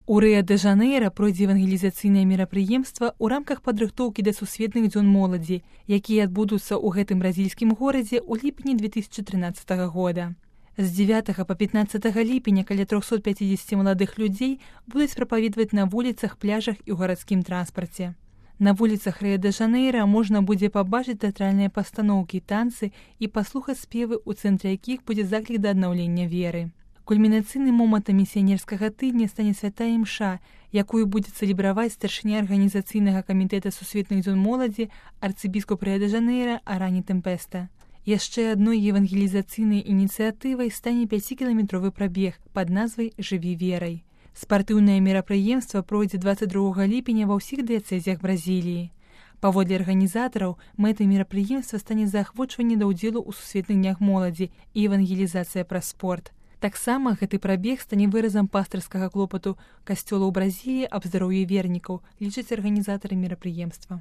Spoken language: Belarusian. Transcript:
У Рыа-дэ-Жанэйра пройдзе евангелізацыйнае мерапрыемства ў рамках падрыхтоўкі да сусветных дзён моладзі, якія адбудуцца ў гэтым бразільскім горадзе ў ліпені 2013 года. З 9 па 15 ліпеня каля 350 маладых людзей будуць прапаведваць на вуліцах, пляжах і ў гарадскім транспарце. На вуліцах Рыа-дэ-Жанэйра можна будзе пабачыць тэатральныя пастаноўкі, танцы і паслухаць спевы, у цэнтры якіх будзе заклік да аднаўлення веры. Кульмінацыйным момантам місіянерскага тыдня стане святая імша, якую будзе цэлебраваць старшыня арганізацыйнага камітэта сусветных дзён моладзі арцыбіскуп Рыа-дэ-Жанэйра Арані Тэмпеста. Яшчэ адной евангелізацыйнай ініцыятывай стане 5-кіламетровы прабег пад назвай «Жыві верай». Спартыўнае мерапрыемства пройдзе 22 ліпеня ва ўсіх дыяцэзіях Бразіліі. Паводле арганізатараў, мэтай мерапрыемства стане заахвочванне да ўдзелу ў сусветных днях моладзі і евангелізацыя праз спорт. Таксама гэты прабег стане выразам пастырскага клопату касцёла ў Бразіліі аб здароўі вернікаў, лічаць арганізатары мерапрыемства.